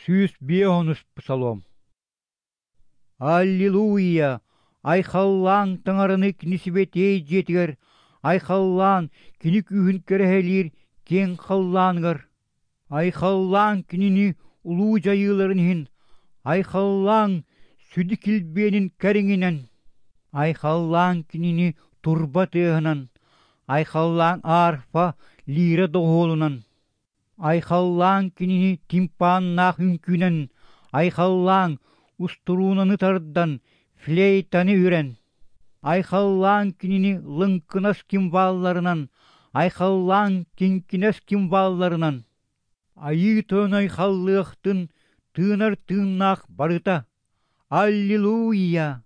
150-ус Псалом. Аллилуйя! Айхаллааҥ Таҥараны Кини сибэтиэй дьиэтигэр, айхаллаан Кини күүһүн кэрэһэлиир киэҥ халлааныгар. Айхаллааҥ Кинини улуу дьайыыларын иһин, айхаллааҥ сүдү килбиэнин кэриҥинэн. Айхаллааҥ Кинини турба тыаһынан, айхаллааҥ арфа лира доҕуһуолунан. Айхаллааҥ Кинини тимпаннаах үҥкүүнэн, айхаллааҥ устуруунаны тардан, флейтаны үрэн. Айхаллааҥ Кинини лыҥкынас кимвалларынан, айхаллааҥ киҥкинэс кимвалларынан. Айыы Тойон айхаллыахтын тыынар тыыннаах барыта. Аллилуйя!